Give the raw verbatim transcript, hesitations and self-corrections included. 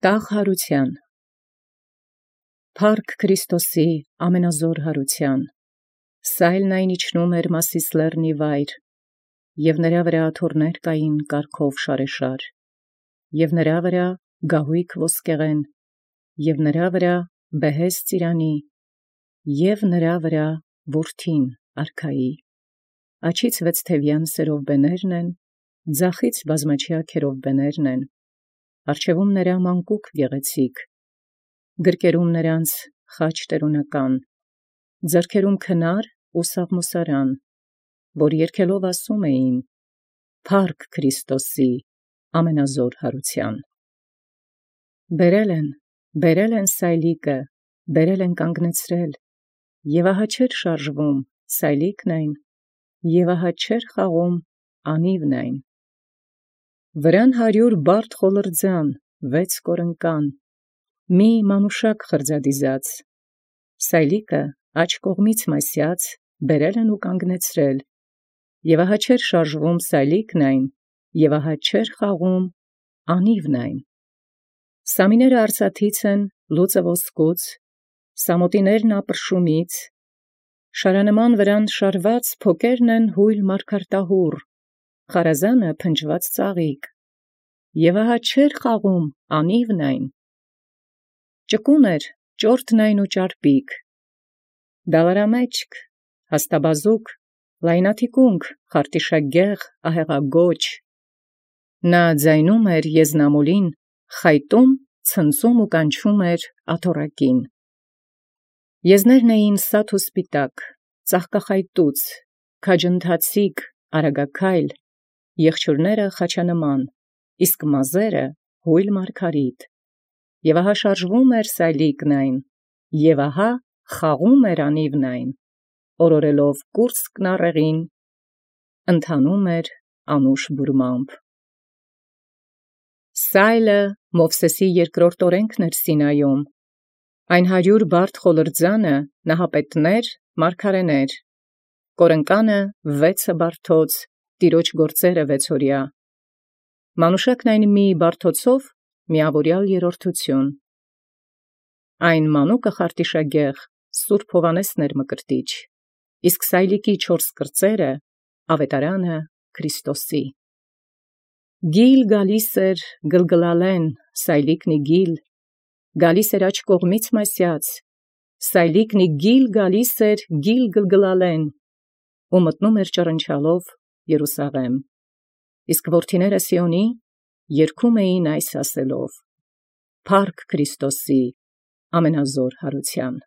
Տաղ հարության, Փառք Քրիստոսի ամենազոր հարության, Սայլն այն իջնում էր Մասիս լեռնի վայր, և նրա վրա աթոռներ կային կարգով շարեշար, և նրա վրա գահույք ոսկեղեն, և նրա վրա բեհեզ ծիրանի, և նրա վրա որդին արքայի, աջից վեցթևյան սերովբեներն են, ձախից բազմաչյա քերովբեներն են, առջևում նրա մանկուկ գեղեցիկ, գրկերում նրանց խաչ տերունական, ձեռքերում քնար ու սաղմոսարան, որ երգելով ասում էին. Փառք Քրիստոսի ամենազոր հարության։ Բերել են, բերել են սայլիկը, բերել են կանգնեցրել, և ահա չէր շարժվում, սայլիկն այն, և ահա չէր խաղում, անիվն այն։ Վրան հարյուր բարդ խոլրձան, վեց կորնկան, մի մանուշակ խրձադիզած, սայլիկը աջ կողմից մասյած, բերել են ու կանգնեցրել, և ահա չէր շարժվում սայլիկն այն, և ահա չէր խաղում, անիվն այն։ Սամիները արծաթից են, լուծը ոսկուց, սամոտիներն ապրշումից, շարանման վրան շարված փոկերն են հույլ մարգարտահուռ, խարազանը փնջված ծաղիկ, և ահա չէր խաղում, անիվն այն։ Ճկուն էր, ճորթն այն ու ճարպիկ, դալարամեջք, հաստաբազուկ, լայնաթիկունք, խարտիշագեղ, ահեղագոչ, նա ձայնում էր եզնամուլին, խայտում, ցնծում ու կանչում էր աթոռակին։ Եզներն էին սաթ ու սպիտակ, ծաղկախայտուց, քաջընթացիկ, արագաքայլ, եղջյուրները խաչանման, իսկ մազերը հույլ մարգարիտ, և ահա շարժվում էր սայլիկն այն, և ահա խաղում էր անիվն այն, օրորելով կուրծքն առեղին, ընթանում էր անուշ բուրմամբ։ Սայլը Մովսեսի երկրորդ օրենքն էր Սինայում, այն հարյուր բարդ խոլրձանը նահապետներ, մարգարեներ, կորնկանը վեցը բարդոց, տիրոջ գործերը վեցօրյա, մանուշակն այն մի բարդոցով միավորյալ երրորդություն, այն մանուկը խարտիշագեղ Սուրբ Հովհաննեսն էր Մկրտիչ, իսկ սայլիկի չորս կրծերը աւետարանը Քրիստոսի։ Գիլ գալիս էր գլգլալեն, սայլիկնի գիլ, գալիս էր աջ կողմից մասյաց, սայլիկնի գիլ գալիս էր գիլ գլգլալեն, ու մտնում էր ճռնչալով Երուսաղեմ, իսկ որդիները Սիոնի երգում էին այս ասելով. Փառք Քրիստոսի ամենազոր հարության։